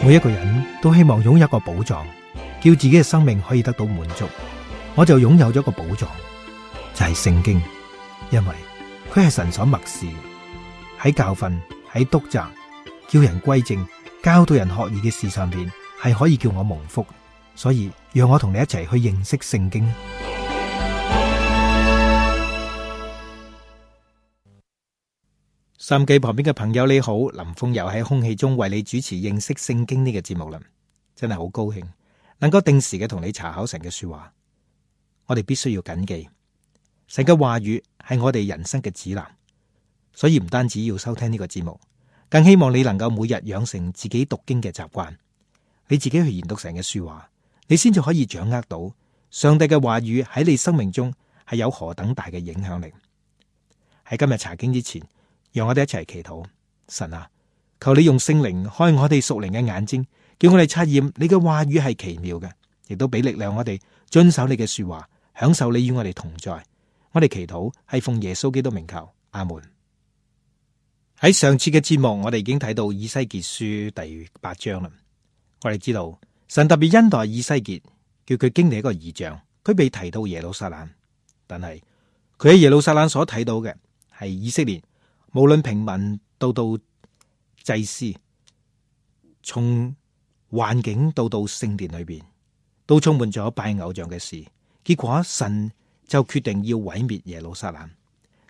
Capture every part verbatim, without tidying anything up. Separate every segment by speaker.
Speaker 1: 每一個人都希望擁有一個寶藏，叫自己嘅生命可以得到滿足。我就擁有咗一個寶藏，就係聖經，因為佢係神所默示，喺教訓、喺督責、叫人歸正、教導人學義嘅事上邊，係可以叫我蒙福。所以讓我同你一齊去認識聖經。收音機旁邊嘅朋友你好，林峰又喺空氣中為你主持認識聖經呢個節目啦，真係好高興能夠定時嘅同你查考神嘅說話。我哋必須要謹記神嘅話語係我哋人生嘅指南，所以唔單止要收聽呢個節目，更希望你能夠每日養成自己讀經嘅習慣，你自己去研讀神嘅說話，你先至可以掌握到上帝嘅話語喺你生命中係有何等大嘅影響力。喺今日查經之前，讓我哋一齊祈禱。神啊，求你用聖靈開我哋屬靈嘅眼睛，叫我哋察驗你嘅話語係奇妙嘅，亦都俾力量我哋遵守你嘅說話，享受你與我哋同在。我哋祈禱係奉耶穌基督名求，阿門。喺上次嘅節目，我哋已經睇到以西結書第八章啦。我哋知道神特別恩待以西結，叫佢經歷一個異象。佢被提到耶路撒冷，但係佢喺耶路撒冷所睇到嘅係以色列，無論平民到到祭司，從環境到到聖殿裏邊，都充滿咗拜偶像嘅事。結果神就決定要毀滅耶路撒冷。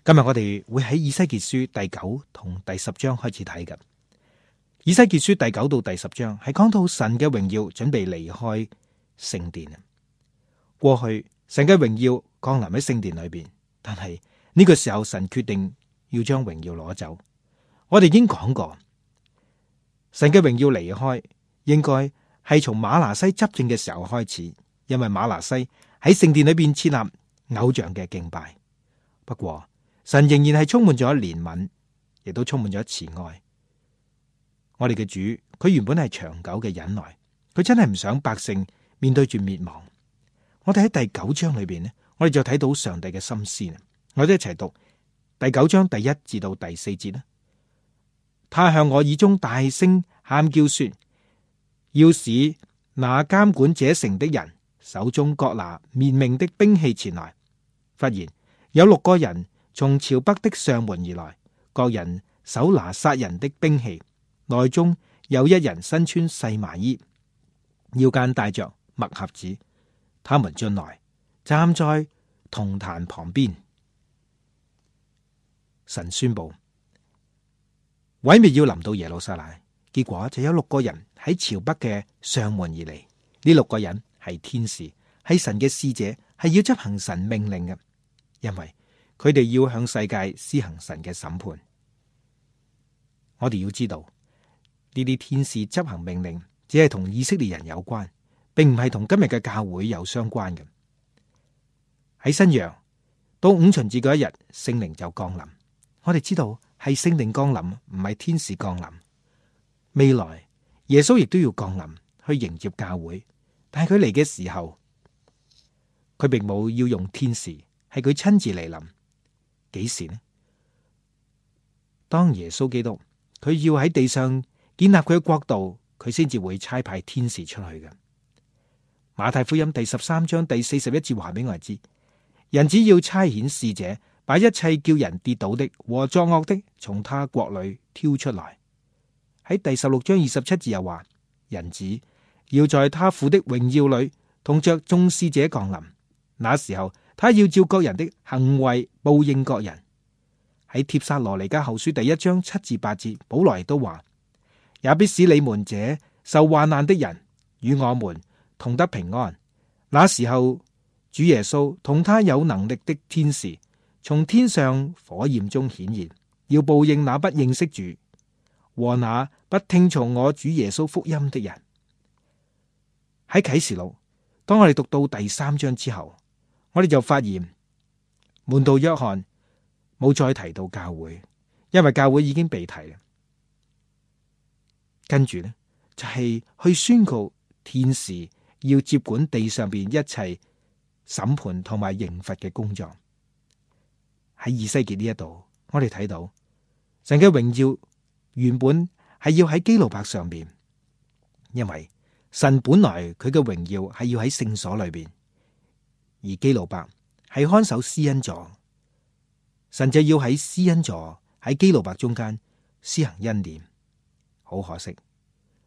Speaker 1: 今日我哋會喺以西結書第九同第十章開始睇嘅。以西結書第九到第十章係講到神嘅榮耀準備離開聖殿。過去神嘅榮耀降臨喺聖殿裏邊，但係呢個時候神決定要將榮耀攞走。我哋已經講過，神嘅榮耀離開應該係從瑪拿西執政嘅時候開始，因為瑪拿西喺聖殿裏邊設立偶像嘅敬拜。不過神仍然係充滿咗憐憫，亦都充滿咗慈愛。我哋嘅主，佢原本係長久嘅忍耐，佢真係唔想百姓面對住滅亡。我哋喺第九章裏邊呢，我哋就睇到上帝嘅心思。我哋一齊讀第九章第一至到第四節啦。他向我耳中大聲喊叫說，要使那監管這城的人手中各拿滅命的兵器前來。忽然有六個人從朝北的上門而來，各人手拿殺人的兵器，內中有一人身穿細麻衣，腰間帶着墨盒子。他們進來，站在銅壇旁邊。神宣布毀滅要臨到耶路撒冷，結果就有六個人喺朝北嘅上門而嚟。呢六個人係天使，係神嘅使者，係要執行神命令嘅，因為佢哋要向世界施行神嘅審判。我哋要知道呢啲天使執行命令，只係同以色列人有關，並唔係同今日嘅教會有相關嘅。喺新約到五旬節嗰一日，聖靈就降臨。我哋知道係聖靈降臨，唔係天使降臨。未來耶穌亦都要降臨去迎接教會，但係佢嚟嘅時候，佢並冇要用天使，係佢親自嚟臨。幾時呢？當耶穌基督佢要喺地上建立佢嘅國度，佢先至會差派天使出去嘅。馬太福音第十三章第四十一節話俾我哋知，人只要差遣使者，把一切叫人跌倒的和作惡的從他國裏挑出來。喺第十六章二十七節又話，人子要在他父的榮耀裏同着眾使者降臨，那時候他要照各人的行為報應各人。喺帖撒羅尼迦後書第一章七至八節，保羅都話，也必使你們這受患難的人與我們同得平安。那時候主耶穌同他有能力的天使從天上火焰中顯現，要報應那不認識主和那不聽從我主耶穌福音的人。喺啟示錄，當我哋讀到第三章之後，我哋就發現門徒約翰冇再提到教會，因為教會已經被提啦。跟住呢，就係去宣告天使要接管地上邊一切審判同埋刑罰嘅工作。喺以西結呢一度，我哋睇到神嘅榮耀原本係要喺基路伯上邊，因為神本來佢嘅榮耀係要喺聖所裏邊，而基路伯係看守施恩座，神就要喺施恩座喺基路伯中間施行恩典。好可惜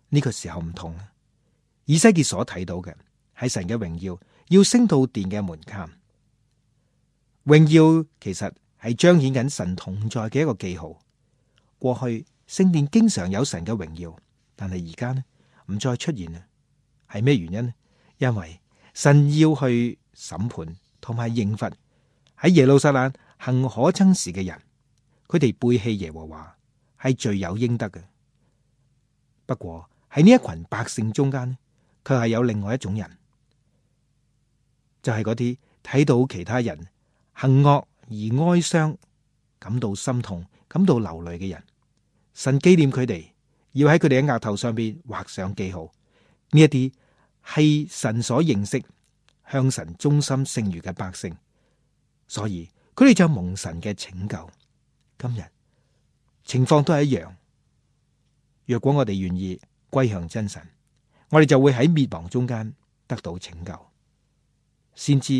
Speaker 1: 呢個時候唔同啊！以西結所睇到嘅係神嘅榮耀要升到殿嘅門檻，榮耀其實係彰顯緊神同在嘅一個記號。過去聖殿經常有神嘅榮耀，但係而家呢唔再出現啦。係咩原因呢？因為神要去審判同埋刑罰喺耶路撒冷行可憎事嘅人，佢哋背棄耶和華係罪有應得嘅。不過喺呢一群百姓中間呢，卻係有另外一種人，就係嗰啲睇到其他人行惡而哀傷，感到心痛、感到流淚嘅人。神紀念佢哋，要喺佢哋嘅額頭上邊畫上記號。呢一啲係神所認識、向神忠心聖愚嘅百姓，所以佢哋就蒙神嘅拯救。今日情況都係一樣。若果我哋願意歸向真神，我哋就會喺滅亡中間得到拯救。先知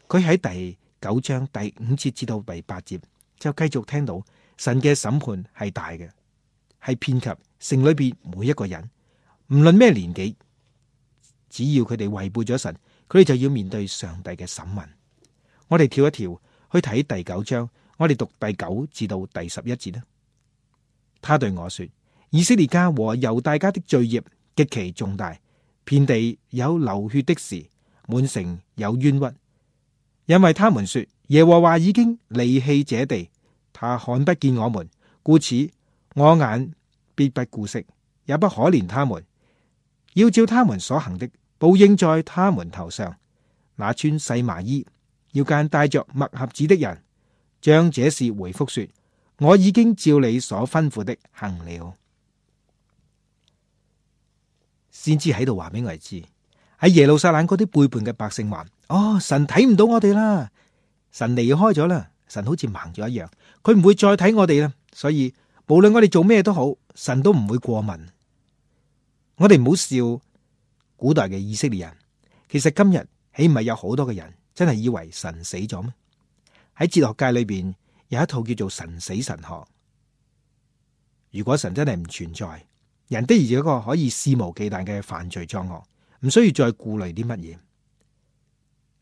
Speaker 1: 佢喺第九章第五節至到第八節就繼續聽到神嘅審判係大嘅，係遍及城裏邊每一個人，唔論咩年紀。只要佢哋違背咗神，佢哋就要面對上帝嘅審問。我哋跳一跳去睇第九章，我哋讀第九至到第十一節啦。他對我說：以色列家和猶大家的罪孽極其重大，遍地有流血的事，滿城有冤屈，因為他們說耶和華已經離棄這地，他看不見我們，故此我眼必不顧惜，也不可憐他們，要照他們所行的報應在他們頭上。那穿細麻衣要間帶着墨盒子的人，將這事回復說：我已經照你所吩咐的行了。先知喺度話俾我哋知，喺耶路撒冷嗰啲背叛嘅百姓話：哦，神睇唔到我哋啦，神離開咗啦，神好似盲咗一樣，佢唔會再睇我哋啦。所以無論我哋做咩都好，神都唔會過問。我哋唔好笑古代嘅以色列人，其實今日豈唔係有好多嘅人真係以為神死咗咩？喺哲學界裏邊有一套叫做神死神學。如果神真係唔存在，人的而且確可以肆無忌憚嘅犯罪作惡，唔需要再顧慮啲乜嘢。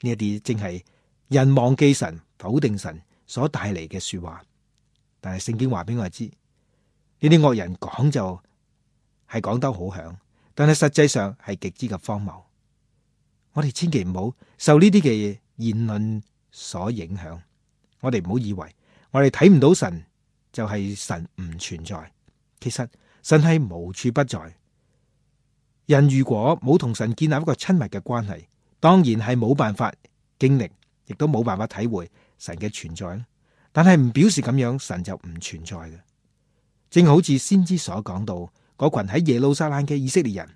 Speaker 1: 呢一啲正係人忘記神、否定神所帶嚟嘅說話。但係聖經話俾我哋知，呢啲惡人講就係講得好響，但係實際上係極之嘅荒謬。我哋千祈唔好受呢啲嘅言論所影響。我哋唔好以為我哋睇唔到神就係神唔存在。其實神係無處不在。人如果冇同神建立一個親密嘅關係，當然係冇辦法經歷，亦都冇辦法體會神嘅存在。但係唔表示咁樣神就唔存在嘅。正好似先知所講到，嗰群喺耶路撒冷嘅以色列人，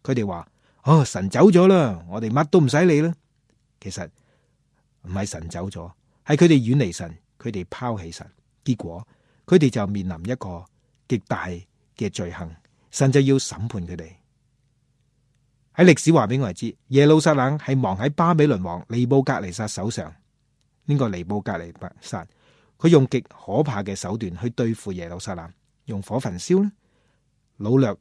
Speaker 1: 佢哋話：哦，神走咗啦，我哋乜都唔使理啦。其實唔係神走咗，係佢哋遠離神，佢哋拋棄神，結果佢哋就面臨一個極大嘅罪行，神就要審判佢哋。喺歷史話俾我哋知，耶路撒冷係亡喺巴比倫王尼布甲尼撒手上。呢個尼布甲尼撒，佢用極可怕嘅手段去對付耶路撒冷，用火焚燒呢，擄掠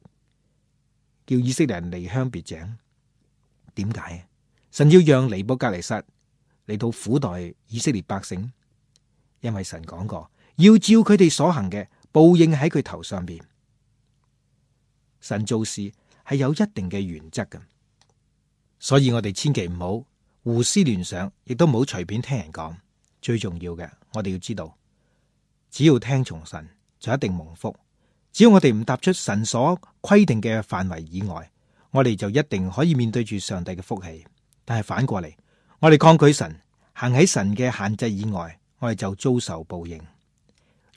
Speaker 1: 叫以色列人離鄉別井。點解？神要讓尼布甲尼撒嚟到苦待以色列百姓，因為神講過要照佢哋所行嘅報應喺佢頭上邊。神做事係有一定嘅原則嘅，所以我哋千祈唔好胡思亂想，亦都唔好隨便聽人講。最重要嘅，我哋要知道，只要聽從神就一定蒙福。只要我哋唔踏出神所規定嘅範圍以外，我哋就一定可以面對住上帝嘅福氣。但係反過嚟，我哋抗拒神，行喺神嘅限制以外，我哋就遭受報應。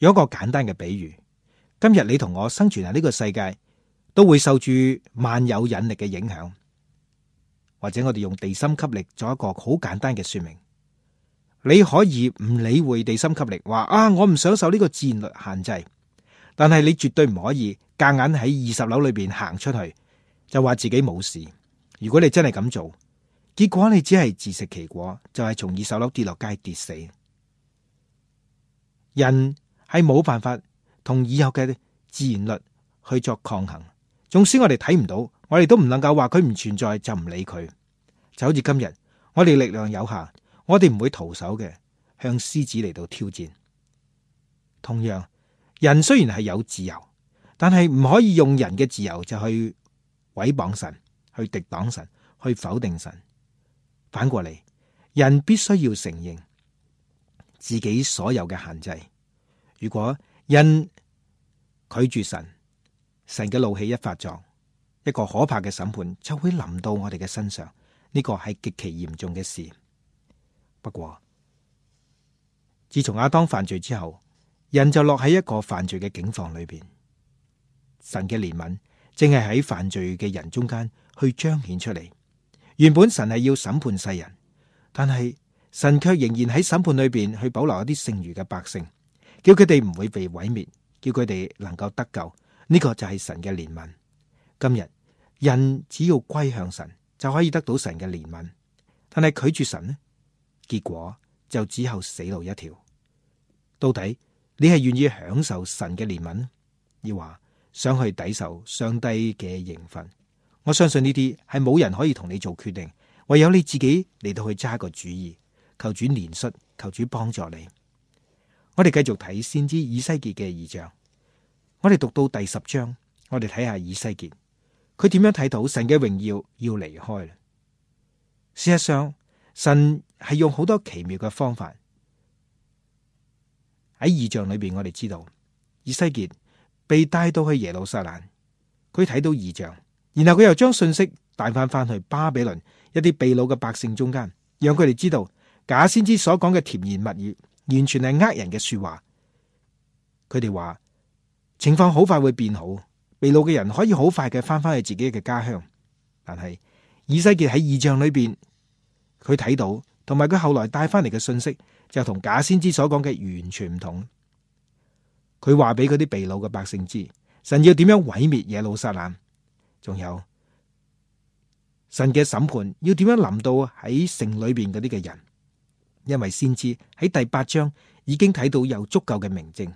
Speaker 1: 有一個簡單嘅比喻，今日你同我生存喺呢個世界，都會受住萬有引力嘅影響，或者我哋用地心吸力做一個好簡單嘅說明。你可以唔理會地心吸力，話啊，我唔想受呢個自然律限制，但係你絕對唔可以夾硬喺二十樓裏邊行出去，就話自己冇事。如果你真係咁做，結果你只係自食其果，就係從二手樓跌落街跌死。人係冇辦法同已有嘅自然律去作抗衡，縱使我哋睇唔到，我哋都唔能夠話佢唔存在就唔理佢。就好似今日我哋力量有限，我哋唔會徒手嘅向獅子嚟到挑戰。同樣，人雖然係有自由，但係唔可以用人嘅自由就去毀謗神，去敵擋神，去否定神。反過嚟，人必須要承認自己所有嘅限制。如果人拒絕神，神嘅怒氣一發作，一個可怕嘅審判就會臨到我哋嘅身上。呢個係極其嚴重嘅事。不過，自從亞當犯罪之後，人就落喺一個犯罪嘅境況裏邊。神嘅憐憫正係喺犯罪嘅人中間去彰顯出嚟。原本神係要審判世人，但係神卻仍然喺審判裏邊去保留一啲剩餘嘅百姓，叫佢哋唔會被毀滅，叫佢哋能夠得救。呢個就係神嘅憐憫。今日人只要歸向神，就可以得到神嘅憐憫。但係拒絕神呢，結果就只有死路一條。到底你係願意享受神嘅憐憫，抑或想去抵受上帝嘅刑罰？我相信呢啲係冇人可以同你做決定，唯有你自己嚟到去揸個主意。求主憐恤，求主幫助你。我哋繼續睇先知以西結嘅異象。我哋讀到第十章，我哋睇下以西結，佢點樣睇到神嘅榮耀要離開啦。事實上，神係用好多奇妙嘅方法。喺異象裏邊，我哋知道以西結被帶到去耶路撒冷，佢睇到異象。然後佢又將信息帶翻翻去巴比倫一啲被擄嘅百姓中間，讓佢哋知道假先知所講嘅甜言蜜語完全係呃人嘅說話。佢哋話情況好快會變好，被擄嘅人可以好快嘅翻翻去自己嘅家鄉。但係以西結喺異象裏邊，佢睇到同埋佢後來帶翻嚟嘅信息就同假先知所講嘅完全唔同。佢話俾嗰啲被擄嘅百姓知，神要點樣毀滅耶路撒冷。仲有神嘅審判要點樣臨到喺城裏邊嗰啲嘅人，因為先知喺第八章已經睇到有足夠嘅明證。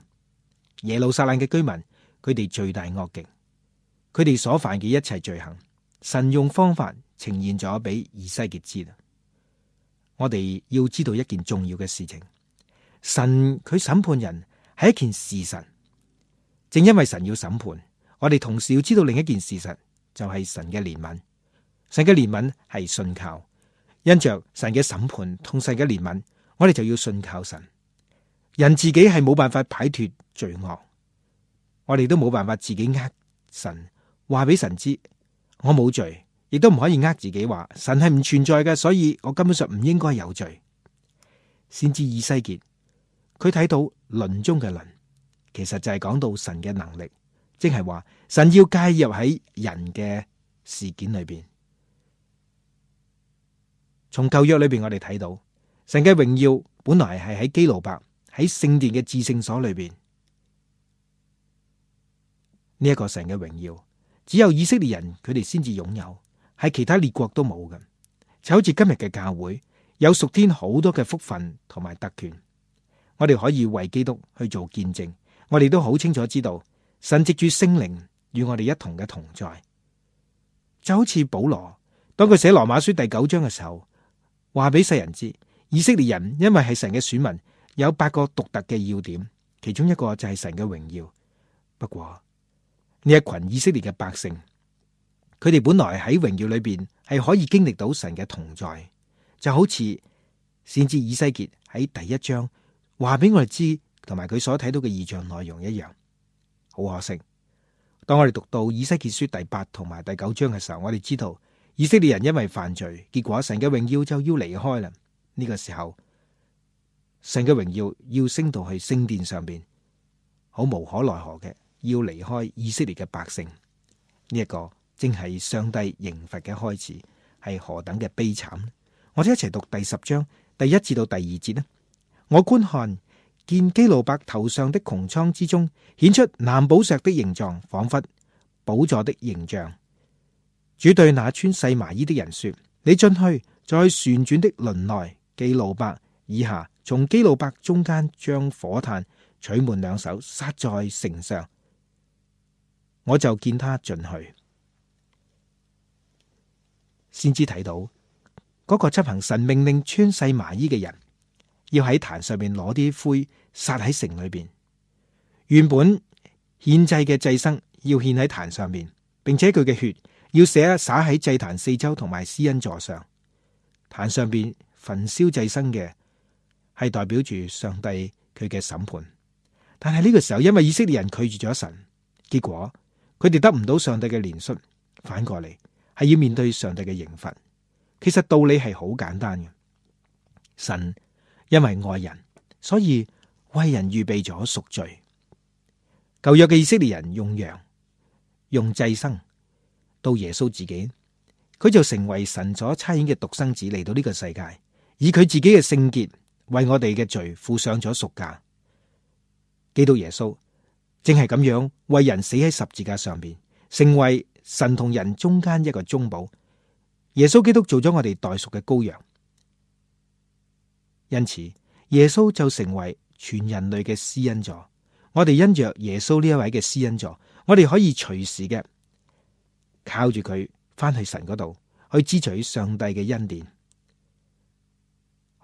Speaker 1: 耶路撒冷嘅居民，佢哋罪大惡極，佢哋所犯嘅一切罪行，神用方法呈現咗俾以西結知啦。我哋要知道一件重要嘅事情，神佢審判人係一件事實，正因為神要審判，我哋同時要知道另一件事實。就係神嘅憐憫，神嘅憐憫係信靠，因着神嘅審判同神嘅憐憫，我哋就要信靠神。人自己係冇辦法擺脫罪惡，我哋都冇辦法自己呃神，話俾神知我冇罪，亦都唔可以呃自己話神係唔存在嘅，所以我根本上唔應該有罪。先知以西結，佢睇到輪中嘅輪，其實就係講到神嘅能力。即係話神要介入喺人嘅事件裏邊。從舊約裏邊我哋睇到神嘅榮耀本來係喺基路伯喺聖殿嘅至聖所裏邊。呢一個神嘅榮耀只有以色列人佢哋先至擁有，係其他列國都冇嘅。就好似今日嘅教會有屬天好多嘅福分同埋特權，我哋可以為基督去做見證。我哋都好清楚知道神藉住聖靈與我哋一同嘅同在，就好似保羅當佢寫羅馬書第九章嘅時候，話俾世人知，以色列人因為係神嘅選民，有八個獨特嘅要點，其中一個就係神嘅榮耀。不過呢一群以色列嘅百姓，佢哋本來喺榮耀裏邊係可以經歷到神嘅同在，就好似先知以西結喺第一章話俾我哋知，同埋佢所睇到嘅異象內容一樣。好可惜，當我哋讀到以西結書第八同埋第九章嘅時候，我哋知道以色列人因為犯罪，結果神嘅榮耀就要離開啦。呢個時候，神嘅榮耀要升到去聖殿上邊，好無可奈何嘅要離開以色列嘅百姓。呢一個正係上帝刑罰嘅開始，係何等嘅悲慘。我哋一齊讀第十章第一至到第二節啦。我觀看，見基路伯頭上的穹蒼之中顯出藍寶石的形狀，仿佛寶座的形象。主對那穿細麻衣的人說：你進去，在旋轉的輪內基路伯以下，從基路伯中間將火炭取滿兩手，撒在城上。我就見他進去。先知睇到嗰個執行神命令穿細麻衣嘅人，要喺壇上面攞啲灰撒喺城裏邊。原本獻祭嘅祭牲要獻喺壇上面，並且佢嘅血要灑灑喺祭壇四周同埋施恩座上。壇上邊焚燒祭牲嘅係代表住上帝佢嘅審判。但係呢個時候，因為以色列人拒絕咗神，結果佢哋得唔到上帝嘅憐恤，反過嚟係要面對上帝嘅刑罰。其實道理係好簡單嘅，神因為愛人，所以為人預備咗贖罪。舊約嘅以色列人用羊、用祭牲，到耶穌自己，佢就成為神所差遣嘅獨生子嚟到呢個世界，以佢自己嘅聖潔為我哋嘅罪付上咗贖價。基督耶穌正係咁樣為人死喺十字架上邊，成為神同人中間一個中保。耶穌基督做咗我哋代贖嘅羔羊，因此耶穌就成為全人類嘅施恩座。我哋因着耶穌呢一位嘅施恩座，我哋可以隨時嘅靠住佢翻去神嗰度去支取上帝嘅恩典。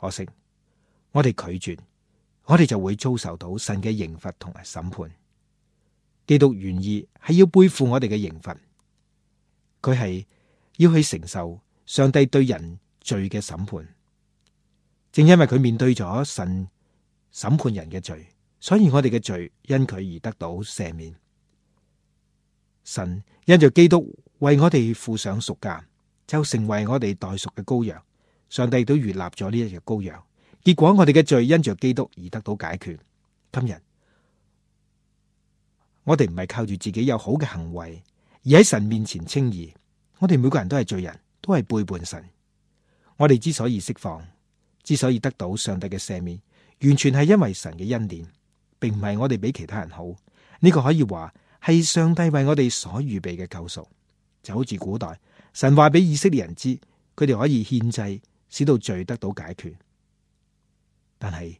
Speaker 1: 可惜我哋拒絕，我哋就會遭受到神嘅刑罰同埋審判。基督願意係要背負我哋嘅刑罰，佢係要去承受上帝對人罪嘅審判。正因為佢面對咗神審判人嘅罪，所以我哋嘅罪因佢而得到赦免。神因着基督為我哋付上贖價，就成為我哋代贖嘅羔羊。上帝都悅納咗呢一隻羔羊，結果我哋嘅罪因着基督而得到解決。今日我哋唔係靠住自己有好嘅行為而喺神面前稱義。我哋每個人都係罪人，都係背叛神。我哋之所以釋放，之所以得到上帝嘅赦免，完全係因為神嘅恩典，並唔係我哋比其他人好。呢個可以話係上帝為我哋所預備嘅救贖。就好似古代神話俾以色列人知，佢哋可以獻祭，使到罪得到解決。但係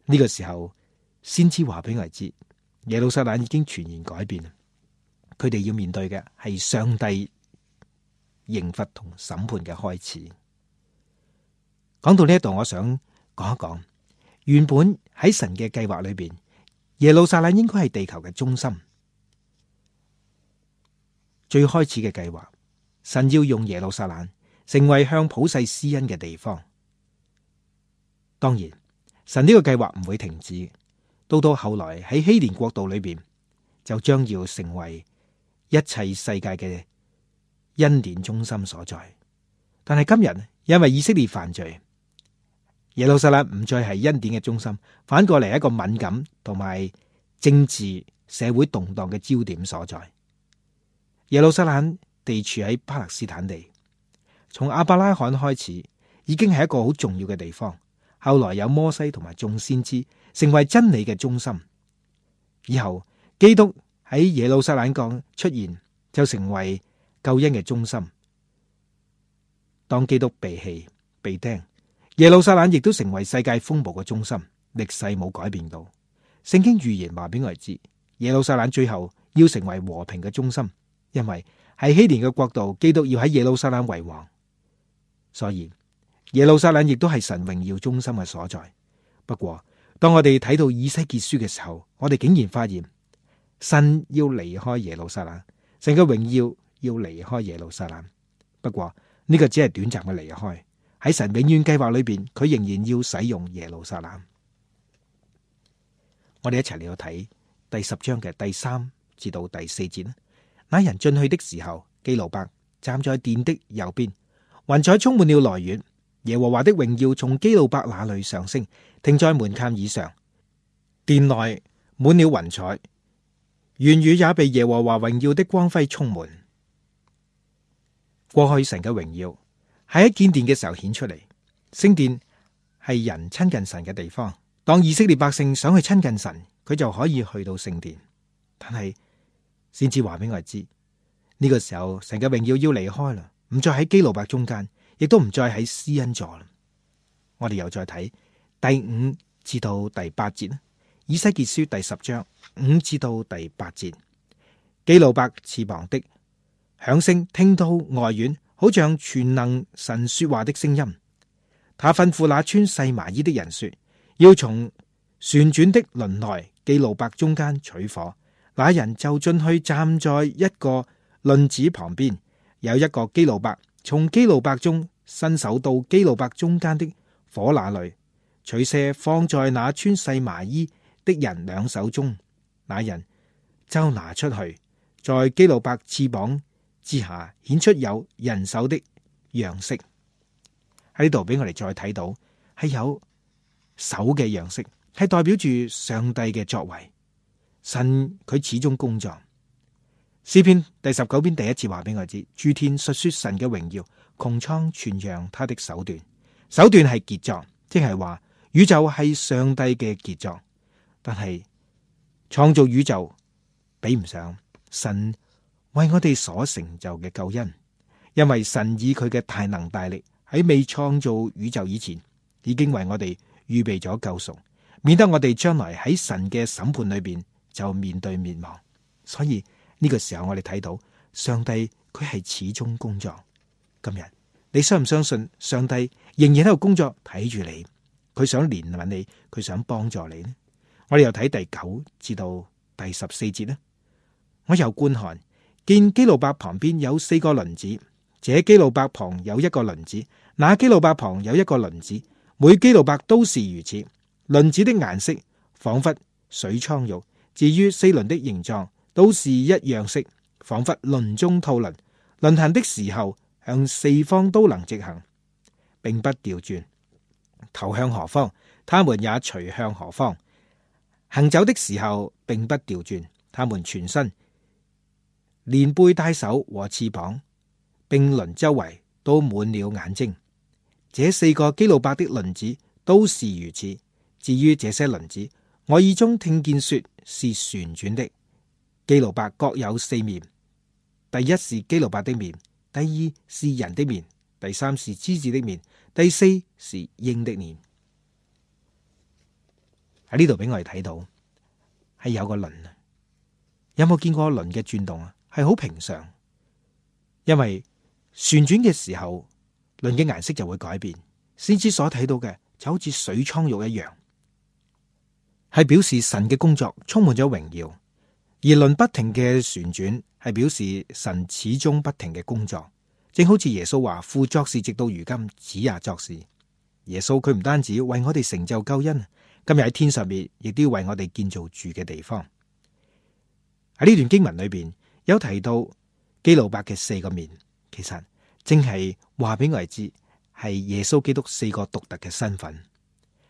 Speaker 1: 呢個時候，先知話俾我哋知，耶路撒冷已經全然改變。佢哋要面對嘅係上帝刑罰同審判嘅開始。講到呢一度，我想講一講，原本喺神嘅計劃裏邊，耶路撒冷應該係地球嘅中心。最開始嘅計劃，神要用耶路撒冷成為向普世施恩嘅地方。當然，神呢個計劃唔會停止，到到後來喺希年國度裏邊，就將要成為一切世界嘅恩典中心所在。但係今日因為以色列犯罪，耶路撒冷唔再係恩典嘅中心，反過嚟一個敏感同埋政治社會動盪嘅焦點所在。耶路撒冷地處喺巴勒斯坦地，從亞伯拉罕開始已經係一個好重要嘅地方。後來有摩西同埋眾先知成為真理嘅中心，以後基督喺耶路撒冷港出現，就成為救恩嘅中心。當基督被棄被釘，耶路撒冷亦都成為世界風暴嘅中心。歷世冇改變到，聖經預言話俾我哋知，耶路撒冷最後要成為和平嘅中心，因為係希年嘅國度，基督要喺耶路撒冷為王，所以耶路撒冷亦都係神榮耀中心嘅所在。不過當我哋睇到以西結書嘅時候，我哋竟然發現神要離開耶路撒冷，神嘅榮耀要離開耶路撒冷。不過呢個只係短暫嘅離開，喺神永遠計劃裏邊，佢仍然要使用耶路撒冷。我哋一齊嚟到睇第十章嘅第三至到第四節。那人進去的時候，基路伯站在殿的右邊，雲彩充滿了來源。耶和華的榮耀從基路伯那裏上升，停在門檻以上。殿內滿了雲彩，園宇也被耶和華榮耀的光輝充滿。過去神嘅榮耀係喺建殿嘅時候顯出嚟。聖殿係人親近神嘅地方。當以色列百姓想去親近神，佢就可以去到聖殿。但係先至話俾我哋知，呢個時候，神嘅榮耀要離開啦，唔再喺基路伯中間，亦都唔再喺施恩座啦。我哋又再睇第五至到第八節啦，以西結書第十章五至到第八節，基路伯翅膀的響聲聽到外院，好像全能神說話的聲音。他吩咐那穿細麻衣的人說，要從旋轉的輪內基路伯中間取火。那人就進去站在一個輪子旁邊，有一個基路伯從基路伯中伸手到基路伯中間的火那裏，取些放在那穿細麻衣的人兩手中。那人就拿出去，在基路伯翅膀之下顯出有人手的樣式。喺呢度俾我哋再睇到係有手嘅樣式，係代表住上帝嘅作為。神佢始終工作。詩篇第十九篇第一節話俾我知，諸天述說神嘅榮耀，穹蒼傳揚他的手段。手段係傑作，即係話宇宙係上帝嘅傑作。但係創造宇宙比唔上神為我哋所成就嘅救恩，因為神以佢嘅大能大力喺未創造宇宙以前，已經為我哋預備咗救贖，免得我哋將來喺神嘅審判裏邊就面對滅亡。所以呢個時候我哋睇到上帝佢係始終工作。今日你相唔相信上帝仍然喺度工作，睇住你，佢想憐憫你，佢想幫助你呢？我哋又睇第九至到第十四節呢。我又觀看，見基路伯旁邊有四個輪子，這基路伯旁有一個輪子，那基路伯旁有一個輪子，每基路伯都是如此。輪子的顏色仿佛水蒼玉，至於四輪的形狀都是一樣式，仿佛輪中套輪。輪行的時候向四方都能直行，並不調轉。頭向何方，他們也隨向何方。行走的時候並不調轉，他們全身連背帶手和翅膀並輪周圍都滿了眼睛。這四個基路伯的輪子都是如此。至於這些輪子，我耳中聽見說是旋轉的。基路伯各有四面，第一是基路伯的面，第二是人的面，第三是獅子的面，第四是鷹的面。喺呢度俾我哋睇到係有個輪啊，有冇見過輪嘅轉動啊？係好平常，因為旋轉嘅時候，輪嘅顏色就會改變。先知所睇到嘅就好似水蒼玉一樣，係表示神嘅工作充滿咗榮耀。而輪不停嘅旋轉係表示神始終不停嘅工作，正好似耶穌話父作事直到如今，子也作事。耶穌佢唔單止為我哋成就救恩，今日喺天上面亦都要為我哋建造住嘅地方。喺呢段經文裏邊有提到基路伯嘅四個面，其實正係話俾我哋知係耶穌基督四個獨特嘅身份。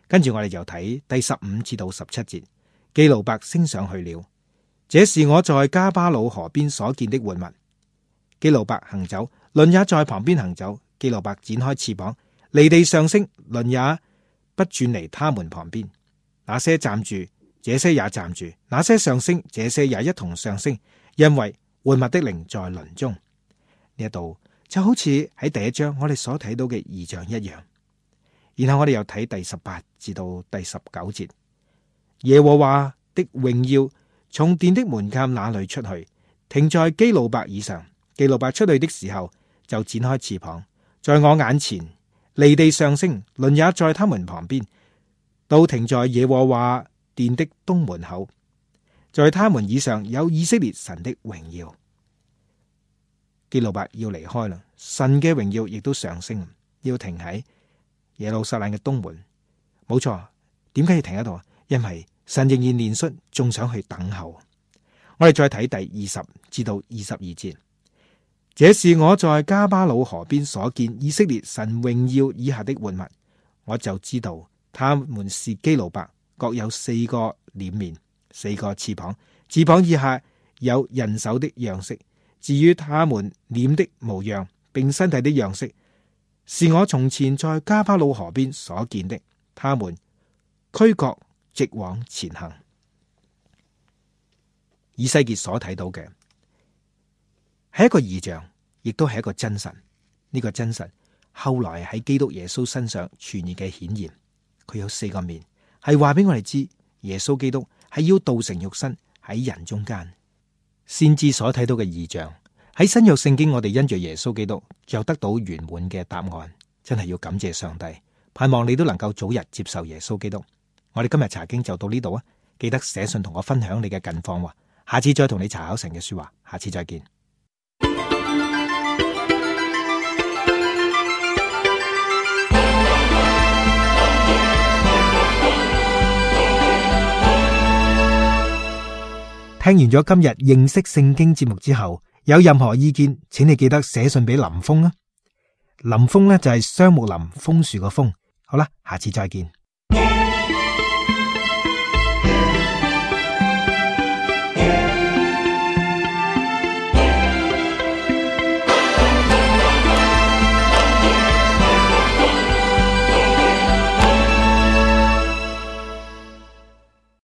Speaker 1: 跟住我哋就睇第十五至到十七節，基路伯升上去了。這是我在迦巴魯河邊所見的活物。基路伯行走，輪也在旁邊行走。基路伯展開翅膀，離地上升，輪也不轉離他們旁邊。那些站住，這些也站住；那些上升，這些也一同上升。因為活物的靈在輪中。呢一度就好似喺第一章我哋所睇到嘅異象一樣。然後我哋又睇第十八至到第十九節，耶和華的榮耀從殿的門檻那裏出去，停在基路伯以上。基路伯出去的時候，就展開翅膀，在我眼前離地上升，輪也在他們旁邊，都停在耶和華殿的東門口。在他們以上有以色列神的榮耀。基路伯要離開啦，神嘅榮耀亦都上升，要停喺耶路撒冷嘅東門。冇錯，點解要停喺度？因為神仍然憐恤，仲想去等候。我哋再睇第二十至到二十二節，這是我在迦巴魯河邊所見以色列神榮耀以下的活物，我就知道他們是基路伯，各有四個臉面，四個翅膀，翅膀以下有人手的樣式。至於他們臉的模樣並身體的樣式，是我從前在迦巴魯河邊所見的。他們俱各直往前行。以西結所睇到嘅係一個異象，亦都係一個真神。呢個真神後來喺基督耶穌身上全然嘅顯現，佢有四個面，係話俾我哋知耶穌基督係要道成肉身喺人中間。先知所睇到嘅異象喺新約聖經，我哋因着耶穌基督就得到圓滿嘅答案，真係要感謝上帝。盼望你都能夠早日接受耶穌基督。我哋今日查經就到呢度啊！記得寫信同我分享你嘅近況，下次再同你查考神嘅說話，下次再見。聽完咗今日認識聖經節目之後，有任何意見，請你記得寫信俾林峰啊。林峰呢就係雙木林楓樹個楓。好啦，下次再見。